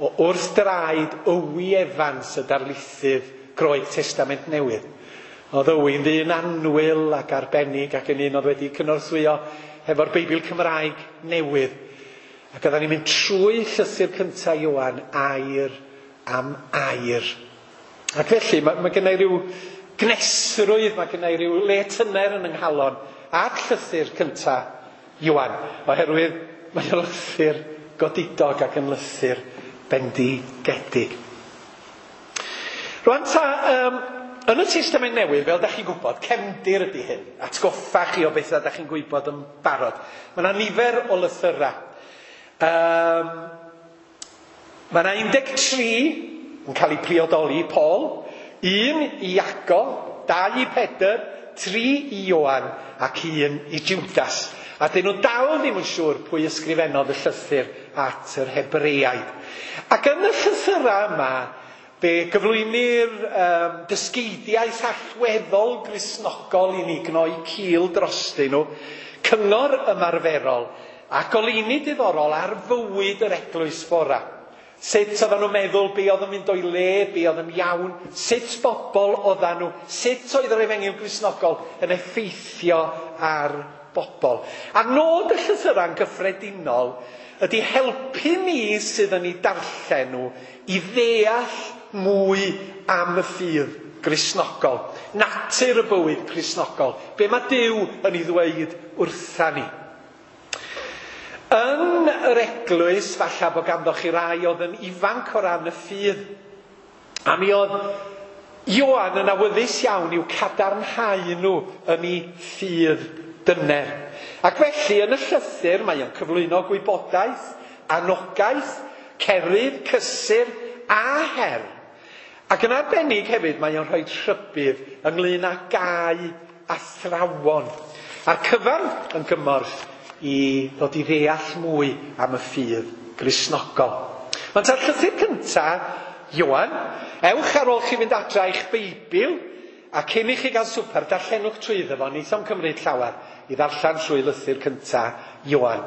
o wrth draed Owi Evans, y darlithydd Groeg Testament Newydd. Oedd Owi'n ddyn annwyl ac arbennig ac yn un oedd wedi cynorthwyo hefo'r Beibl Cymraeg Newydd. Ac oedden ni'n mynd trwy llythyr cyntaf Ioan, air am air. Ac felly, mae, mae gennau rhyw gnesrwydd, mae gennau rhyw le tyner yn yng nghalon at llythyr cyntaf Ioan, oherwydd mae'n lythyr godidog ac yn lythyr bendigedig. Rwan ta, um, yn y Testament Newydd, fel da chi'n gwybod, cefndir ydy hyn. Atgoffa chi o bethau da chi'n gwybod yn barod. Mae yna nifer o lythyrau. Um, mae yna un deg tri yn cael ei priodoli i Paul, un i Iago, dau i Pedr, tri i Ioan ac un i Judas. A dyn nhw dal ddim yn siŵr pwy ysgrifennodd y llythyr at yr Hebreaid. Ac yn y llythyrau yma, fe gyflwynir um, dysgeidiaeth allweddol Gristnogol i ni gnoi cil drostyn nhw, cyngor ymarferol a goleuni diddorol ar fywyd yr eglwys fora. Sut oedden nhw'n meddwl, be oedd yn mynd o'i le, be oedd yn iawn, sut bobl oedden nhw, sut oedd yr efengyl Gristnogol yn effeithio ar bobl. A nod y llythyrau'n gyffredinol ydy helpu ni sydd yn ei darllen nhw i ddeall mwy am y ffydd Gristnogol, natur y bywyd Cristnogol, be mae Duw yn ei ddweud wrtha ni. Yn yr eglwys, falle bod ganddo chi rai oedd yn ifanc o ran y ffydd, a mi oedd Ioan yn awyddus iawn i'w cadarnhau nhw yn ei ffydd dyner. Ac felly yn y llythyr mae o'n cyflwyno gwybodaeth, anogaeth, cerydd, cysur a her. Ac yn arbennig hefyd mae o'n rhoi rhybudd ynglyn â gau athrawon. A'r cyfan yn gymorth i ddod i ddeall mwy am y ffydd Gristnogol. Mae'n ta'r llythyr cyntaf, Ioan, ewch ar ôl chi fynd adra i'ch Beibl, a cyn i chi gael swper, darllenwch trwyddo fo, neith o'm cymryd llawer i ddarllen trwy lythyr cyntaf Ioan.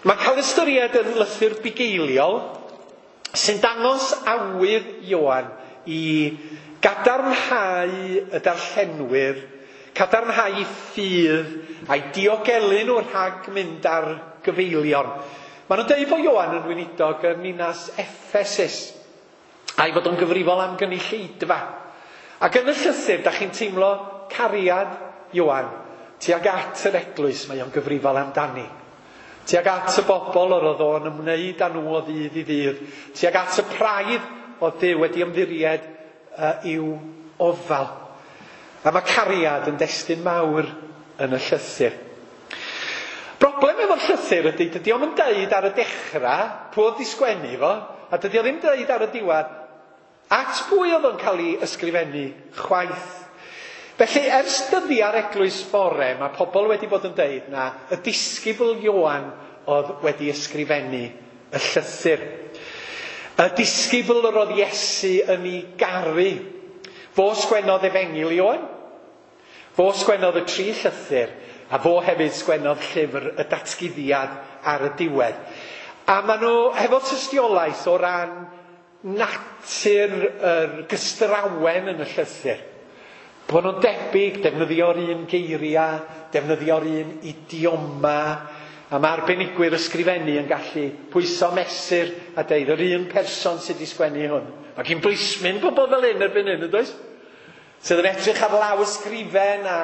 Mae'n cael ystyried yn lythyr bugeiliol sy'n dangos awydd Ioan i gadarnhau y darllenwyr, cadarnhau ffydd a'i diogelu nhw rhag mynd ar gyfeilion. Maen nhw'n dweud bod Ioan yn weinidog yn ninas Ephesus, a'i fod o'n gyfrifol am gynulleidfa. Ac yn y llythyr, da chi'n teimlo cariad Ioan tuag at yr eglwys mae o'n gyfrifol amdani. Tuag at y bobl yr oedd o'n ymwneud â nhw o ddydd i ddydd. Tuag at y praidd oedd Duw wedi ymddiried uh, i'w ofal. A mae cariad yn destun mawr yn y llythyr. Broblem efo'r llythyr ydy, dydy o'm yn deud ar y dechrau pwy oedd 'di sgwennu fo, a dydy o ddim deud ar y diwedd at pwy oedd o'n cael ei ysgrifennu chwaith. Felly, ers dyddiau'r eglwys bore, mae pobl wedi bod yn deud na y disgybl Ioan oedd wedi ysgrifennu y llythyr. Y disgybl yr oedd Iesu yn ei garu. Fo sgwennodd Efengyl Ioan, fo sgwennodd y tri llythyr, a fo hefyd sgwennodd llyfr y datguddiad ar y diwedd. A maen nhw hefo tystiolaeth o ran natur yr gystrawen yn y llythyr. Bod nhw'n debyg, defnyddio'r un geiriau, defnyddio'r un idioma, a mae arbenigwyr ysgrifennu yn gallu pwyso mesur a deud yr un person sydd wedi sgwennu hwn. Mae gyn blismyn bobl fel hyn erbyn hyn, yndoes? Sydd yn edrych ar law ysgrifen a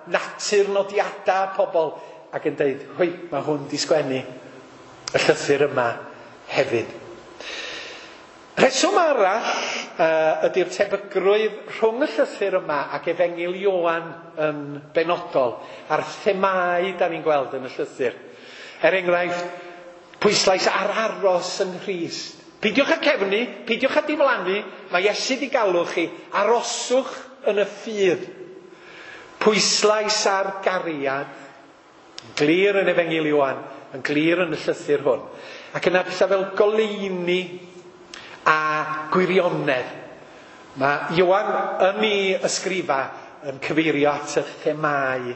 natur nodiadau pobl ac yn deud, hwy, mae hwn wedi sgwennu y llythyr yma hefyd. Rheswm arall uh, ydy'r tebygrwydd rhwng y llythyr yma ac Efengyl Ioan yn benodol a'r themâu da ni'n gweld yn y llythyr. Er enghraifft, pwyslais ar aros yng Nghrist. Peidiwch â cefnu, peidiwch â diflannu, mae Iesu 'di galw chi, aroswch yn y ffydd. Pwyslais ar gariad, yn glir yn Efengyl Ioan, yn glir yn y llythyr hwn. Ac yna pethau fel goleuni a gwirionedd. Mae Ioan yn ei ysgrifa yn cyfeirio at y themâu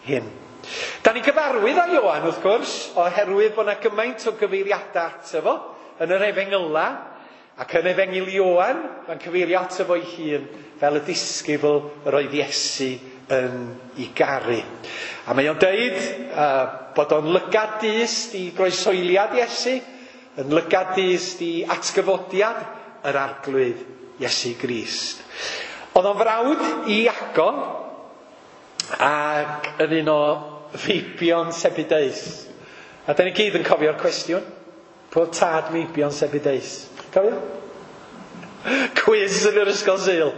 hyn. Da ni gyfarwydd â Ioan, wrth gwrs, oherwydd bod yna gymaint o gyfeiriadau ato fo yn yr Efengyla, ac yn Efengyl Ioan, mae'n cyfeirio ato fo'i hun fel y disgybl yr oedd Iesu yn ei garu. A mae o'n deud uh, bod o'n lygad dyst i groesoeliad Iesu, yn lygad dyst i atgyfodiad yr Arglwydd Iesu Grist. Oedd o'n frawd i Iago ac yn un o feibion Sebedeus. A da ni gyd yn cofio'r cwestiwn. Pwy oedd tad meibion Sebedeus? Cofio? Cwiz yn yr ysgol Sul.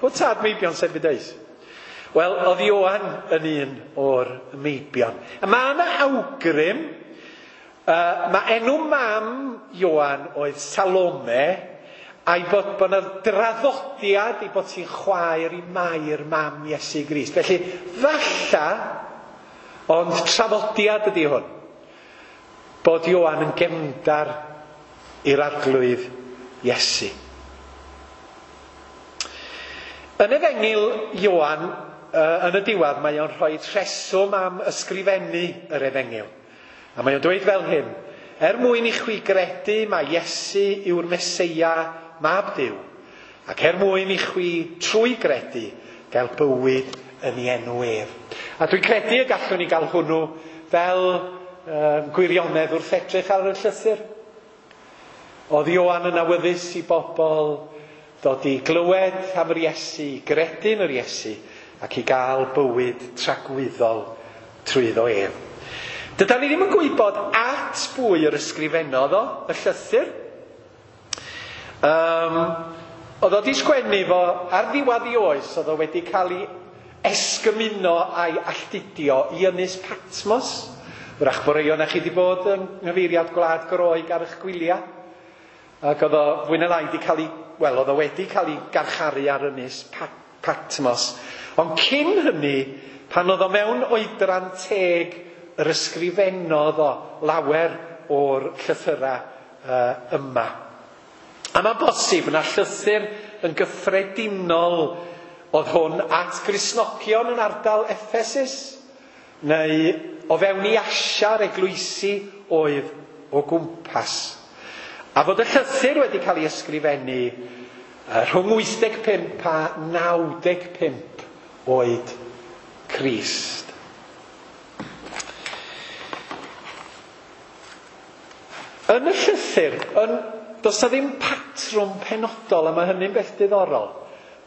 Pwy oedd tad meibion Sebedeus? Wel, oedd Ioan yn un o'r meibion. A mae yna awgrym, uh, mae enw mam Ioan oedd Salome, a'i bod, bod yna draddodiad i bod ti'n chwaer i Mair mam Iesu Grist. Felly, falla, ond traddodiad ydy hwn, bod Ioan yn gefndar i'r Arglwydd Iesu. Yn Efengyl Ioan, yn y diwedd, mae o'n rhoi rheswm am ysgrifennu yr Efengyl. A mae o'n dweud fel hyn: er mwyn i chwi gredu mai Iesu yw'r Meseia, mab Duw, ac er mwyn i chwi trwy gredu gael bywyd yn ei enw ef. A dwi'n credu y gallwn ni gael hwnnw fel um, gwirionedd wrth edrych ar y llythyr. Oedd Ioan yn awyddus i bobl ddod i glywed am yr Iesu, i gredu yn yr Iesu, ac i gael bywyd tragwyddol trwyddo ef. Dydan ni ddim yn gwybod at bwy yr ysgrifennodd o, y llythyr. Um, oedd o di sgwennu fo ar ddiwedd ei oes, oedd o wedi cael ei esgymuno a'i alltudio i Ynys Patmos. Wrach bod rhai ohonoch chi wedi bod yng nghyfeiriad Gwlad Groeg ar eich gwyliau. Ac oedd o fwy na lai wedi cael ei, wel, oedd o wedi cael ei garcharu ar Ynys Patmos. Ond cyn hynny, pan oedd o mewn oedran teg, yr ysgrifennodd o lawer o'r llythyrau uh, yma. A mae'n bosib na llythyr yn gyffredinol oedd hwn at Gristnogion yn ardal Ephesus, neu o fewn i Asia'r eglwysi oedd o gwmpas. A fod y llythyr wedi cael ei ysgrifennu rhwng wyth deg pump a naw deg pump oed Crist. Yn y llythyr, yn, does na ddim patrwm penodol, a mae hynny'n beth diddorol.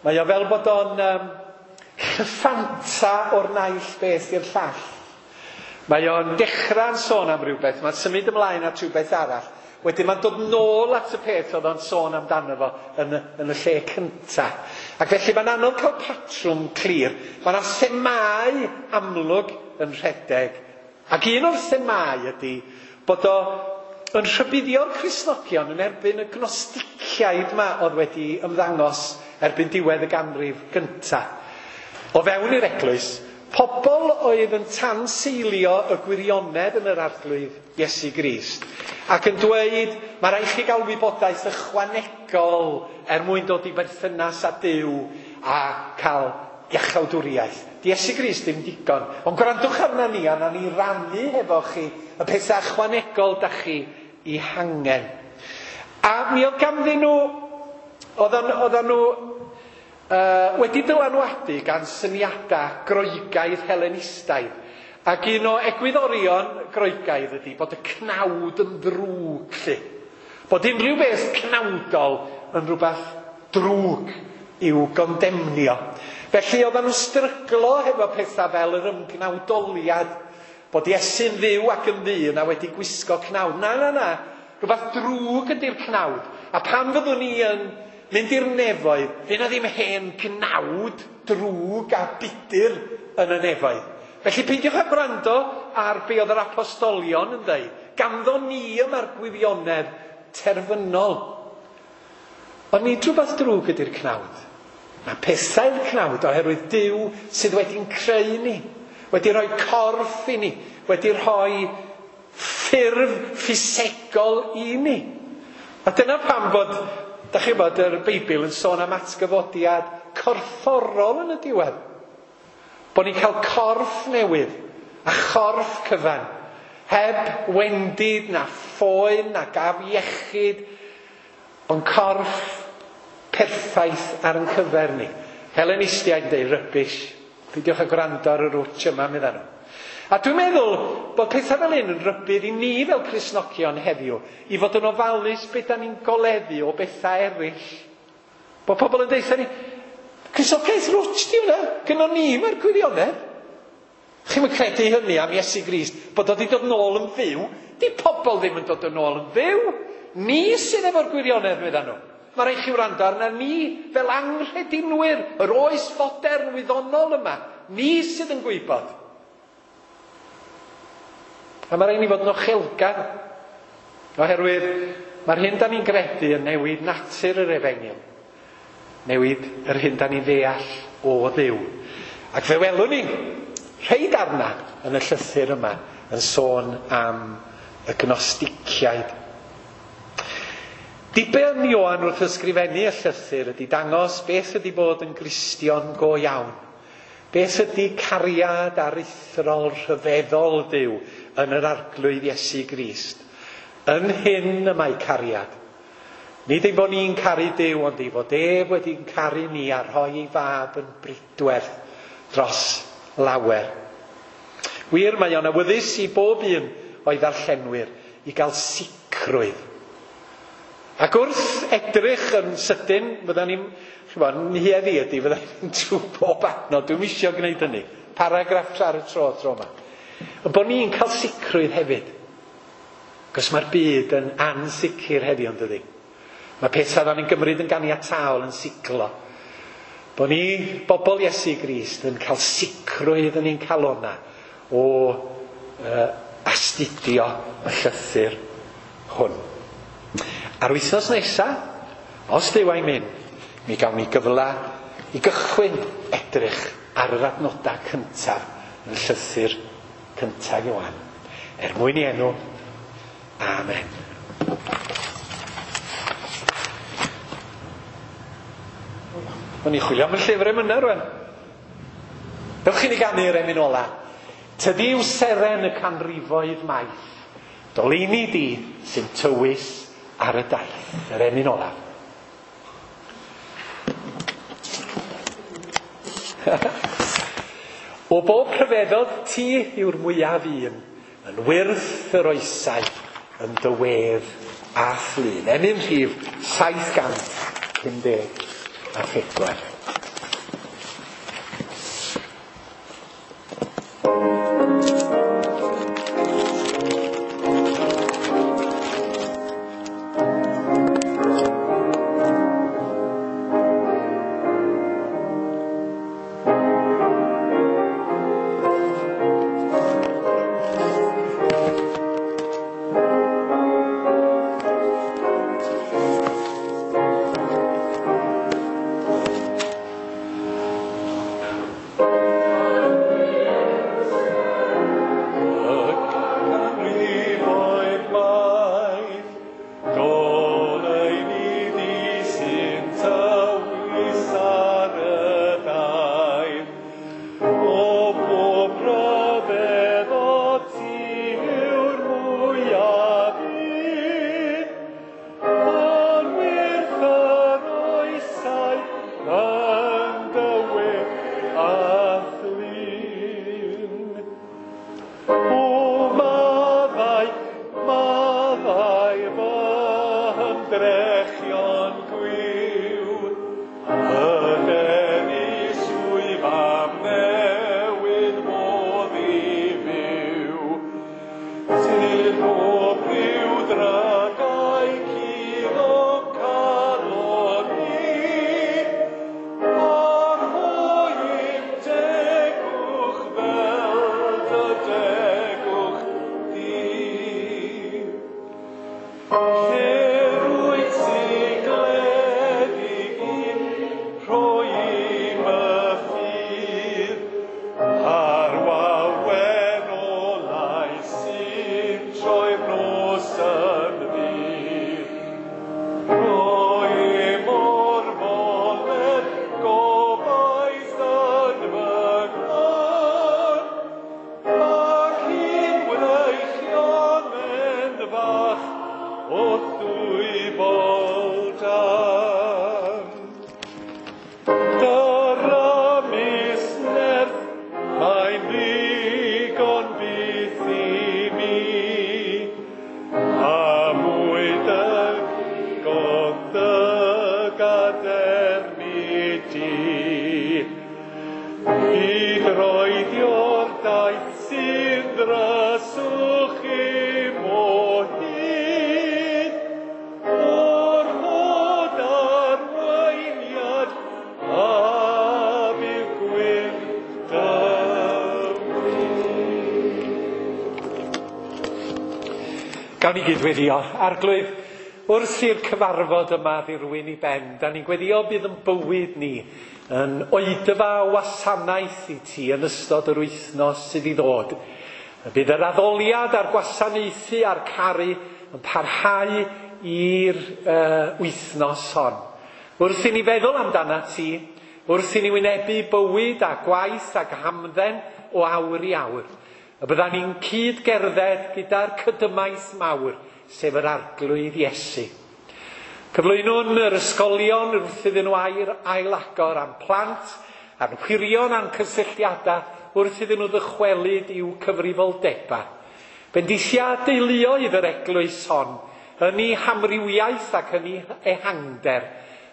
Mae o fel bod o'n um, llyffanta o'r naill beth i'r llall. Mae o'n dechrau'n sôn am rhywbeth, mae'n symud ymlaen at rhywbeth arall. Wedyn mae'n dod nôl at y peth oedd o'n sôn amdano fo yn y, yn y lle cynta. Ac felly mae'n anodd cael patrwm clir. Mae yna themâu amlwg yn rhedeg. Ac un o'r themâu ydy bod o yn rhybuddio'r Cristnogion yn erbyn y gnosticiaid yma oedd wedi ymddangos erbyn diwedd y ganrif gynta. O fewn i'r eglwys, pobl oedd yn tanseilio y gwirionedd yn yr Arglwydd Iesu Grist ac yn dweud, mae rhaid chi gael wybodaeth ychwanegol er mwyn dod i berthynas â Duw a cael iachawdwriaeth. Di Iesu Grist ddim digon. Ond gwrandwch arna ni, a na ni rannu hefo chi y pethau ychwanegol da chi i hangen. A mi oedd ganddyn nhw, oedden nhw uh, wedi dylanwadu gan syniadau Groegaidd Helenistaidd. Ac un o egwyddorion Groegaidd ydy bod y cnawd yn ddrwg, lly. Bod unrhyw beth cnawdol yn rhywbeth drwg i'w gondemnio. Felly oedden nhw'n stryglo hefo pethau fel yr ymgnawdoliad, bod Iesu'n dduw ac yn ddyn a wedi gwisgo cnawd. Na, na, na. Rhywbeth drwg ydy'r cnawd. A pan fyddwn ni yn mynd i'r nefoedd, fydd na ddim hen gnawd drwg a budur yn y nefoedd. Felly peidiwch â gwrando ar be oedd yr apostolion yn dweud. Ganddo ni yma'r gwirionedd terfynol. Ond nid rhywbeth drwg ydy'r cnawd. Mae pethau'r cnawd oherwydd Duw sydd wedi'n creu ni, wedi rhoi corff i ni, wedi rhoi ffurf ffisegol i ni. A dyna pam bod Da chi'n bod yr Beibl yn sôn am atgyfodiad corfforol yn y diwedd. Bod ni'n cael corff newydd a chorff cyfan. Heb wendid na phoen na gaf iechyd, ond corff perffaith ar yn cyfer ni. Helenistiaid yn deud rubbish. Peidiwch â gwrando ar y rwtsh yma, medda nhw. A dwi'n meddwl bod pethau fel hyn yn rybudd i ni fel Cristnogion heddiw i fod yn ofalus beth da ni'n goleddu o bethau eraill. Bod pobl yn deutha ni, Cristnogaeth rwtsh di hwnna, gynnon ni mae'r gwirionedd. Chi'm yn credu hynny am Iesu Grist, bod o wedi dod nôl yn fyw. Di pobl ddim yn dod yn ôl yn fyw. Ni sydd efo'r gwirionedd, medda nhw. Mae rhaid chi wrando arna ni fel anghredinwyr, yr oes fodern wyddonol yma. Ni sydd yn gwybod. A mae rhaid ni fod yn ochelgar. Oherwydd mae'r hyn da ni'n gredu yn newid natur yr efengyl. Newid yr hyn da ni'n ddeall o Dduw. Ac fe welwn ni rhai darna yn y llythyr yma yn sôn am y Gnosticiaid. Diben Ioan wrth ysgrifennu y llythyr ydy dangos beth ydy bod yn Gristion go iawn. Beth ydy cariad aruthrol rhyfeddol Duw yn yr Arglwydd Iesu Grist. Yn hyn y mae cariad. Nid ein bod ni'n caru Duw, ond ei fod ef wedi'n caru ni a rhoi ei fab yn bridwerth dros lawer. Wir, mae o'n awyddus i bob un o'i ddarllenwyr i gael sicrwydd. Ac wrth edrych yn sydyn, fydda ni'n, ch'mod, nhuedd i ydy, fydda ni'n trwy bob adnod, dwi'm isio gwneud hynny. Paragraff ar y tro, tro yma. Ond bod ni'n cael sicrwydd hefyd. Cos mae'r byd yn ansicr heddiw, yn dydi? Mae pethau dda ni'n gymryd yn ganiataol yn siglo. Bod ni, bobl Iesu Grist, yn cael sicrwydd yn ein calona o uh, astudio y llythyr hwn. A'r wythnos nesaf, os Duw a'i mynd, mi gawn ni gyfle i gychwyn edrych ar yr adnodau cyntaf yn llythyr cyntaf Ioan. Er mwyn i enw, amen. O'n i'n chwilio am y llyfr emynau rwan. Dewch i ni ganu'r emyn ola. Tydi yw seren y canrifoedd maith. Doleini di sy'n tywys ar y daith. Yr emyn ola. O bob rhyfeddod ti yw'r mwyaf un, yn wyrth yr oesau, yn dy wedd a thlun. Emyn rhif saith gant pum deg a phedwar. I droedio'r daith sy'n dryswch im o hyd, orfod arweiniad a bydd gwyn dymryd. Gawn ni gyd-weddïo. Arglwydd, wrth i'r cyfarfod yma ddirwyn i ben, da ni'n gweddio bydd yn bywyd ni yn oedfa wasanaeth i ti yn ystod yr wythnos sydd i ddod. Bydd yr addoliad a'r gwasanaethu a'r caru yn parhau i'r uh, wythnos hon. Wrth i ni feddwl amdana ti, wrth i ni wynebu bywyd a gwaith ac hamdden o awr i awr, y byddan ni'n cyd-gerdded gyda'r cydymaith mawr, sef yr Arglwydd Iesu. Cyflwynwn yr ysgolion wrth iddyn nhw air ailagor am plant, a'n hwyrion a'n cysylltiadau wrth iddyn nhw ddychwelyd i'w cyfrifoldebau. Bendithia deuluoedd yr eglwys hon, yn ei hamrywiaeth ac yn ei ehangder,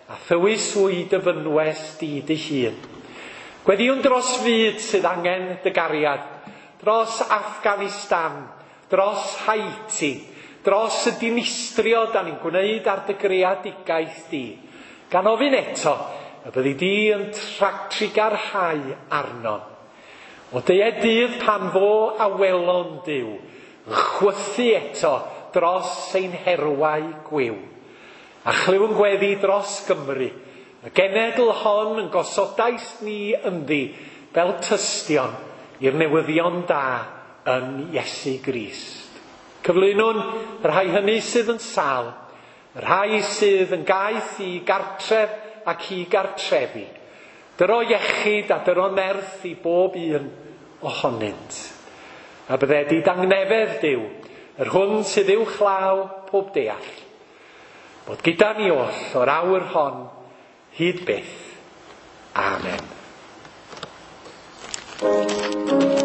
a thywys hwy dy fynwes di dy hun. Gweddïwn dros fyd sydd angen dy gariad, dros Afghanistan, dros Haiti, dros y dinistrio da ni'n gwneud ar dy greadigaeth di. Gan ofyn eto, y byddi di yn trugarhau arno. O deued dydd pan fo awelon Duw, yn chwythu eto dros ein herwau gwiw. A chlywn gweddi dros Gymru, y genedl hon yn gosodais ni ynddi fel tystion i'r newyddion da yn Iesu Grist. Cyflwynwn y rhai hynny sydd yn sâl, y rhai sydd yn gaeth i gartref ac i gartrefi. Dyro iechyd a dyro nerth i bob un ohonynt. A bydded i dangnefedd Duw, yr hwn sydd uwchlaw pob deall, bod gyda ni oll o'r awr hon hyd byth. Amen. Thank you.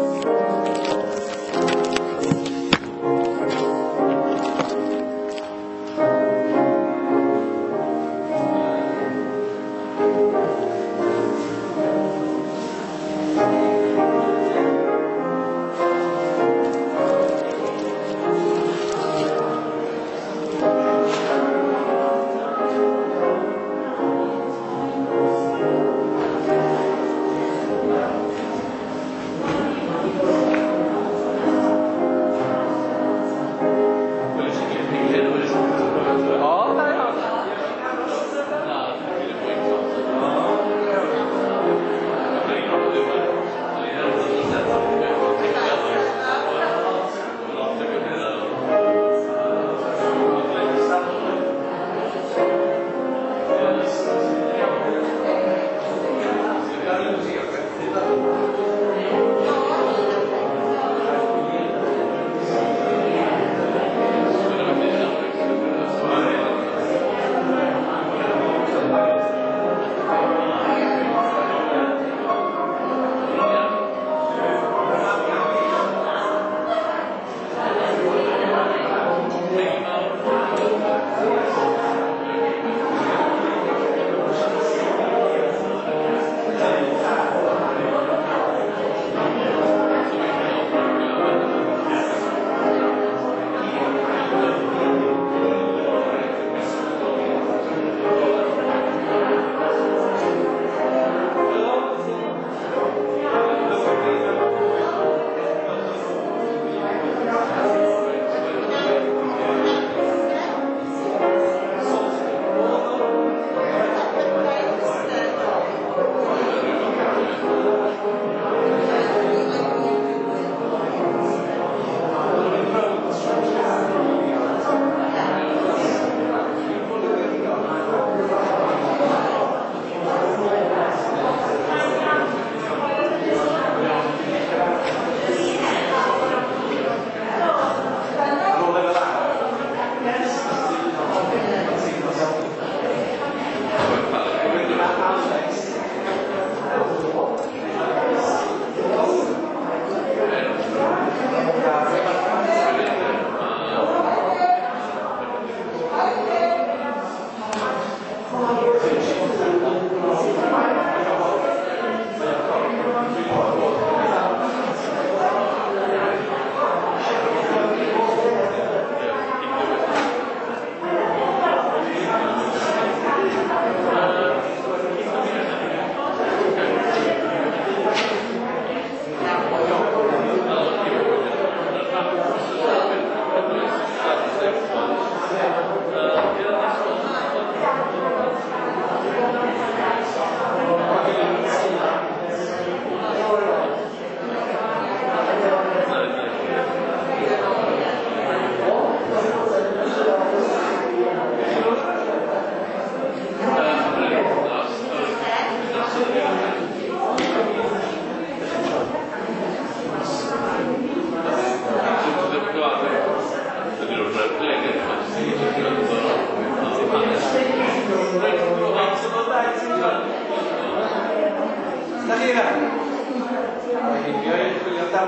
Ei,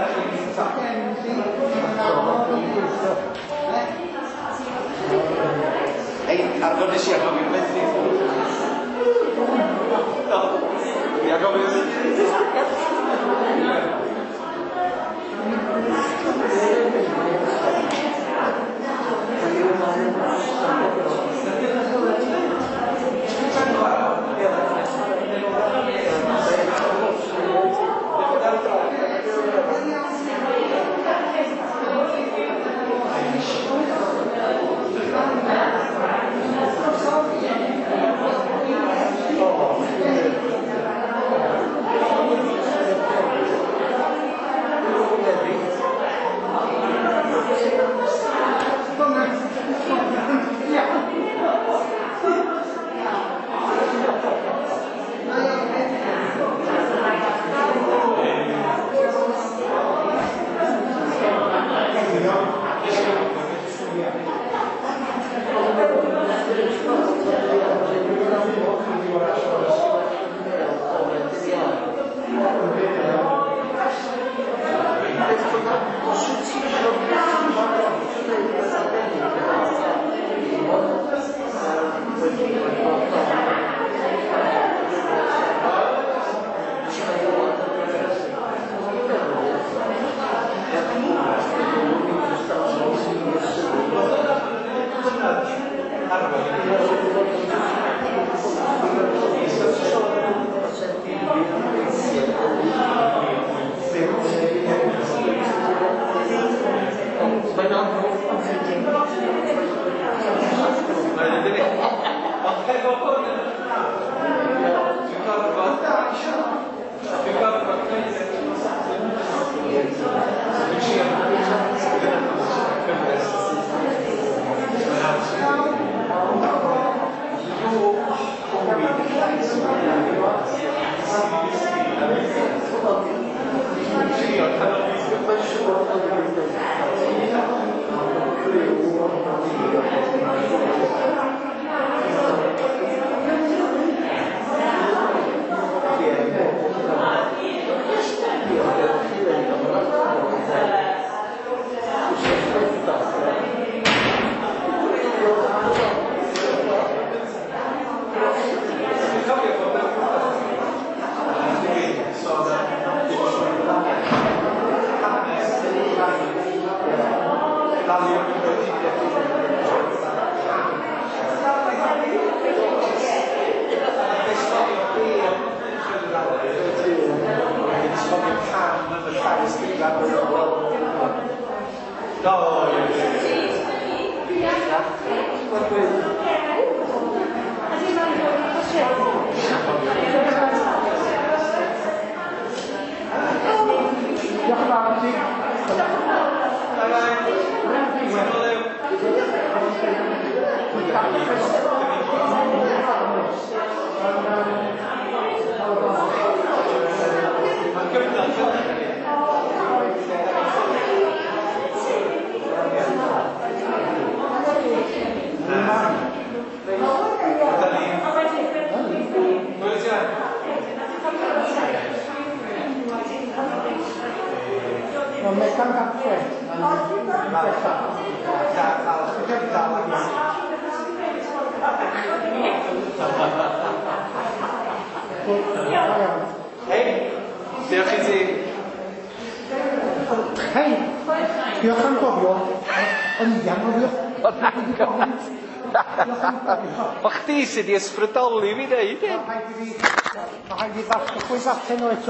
arfer nes i anghofio methu. No, fi anghofio methu. Hei, diolch i ti. Hei, diolch am gofio. O'n i anghofio. O chdi sydd 'di ysbrydoli fi ddeud hyn. Mae rhaid i fi... Mae rhaid i fi ddasglu pwy allan nhw eto.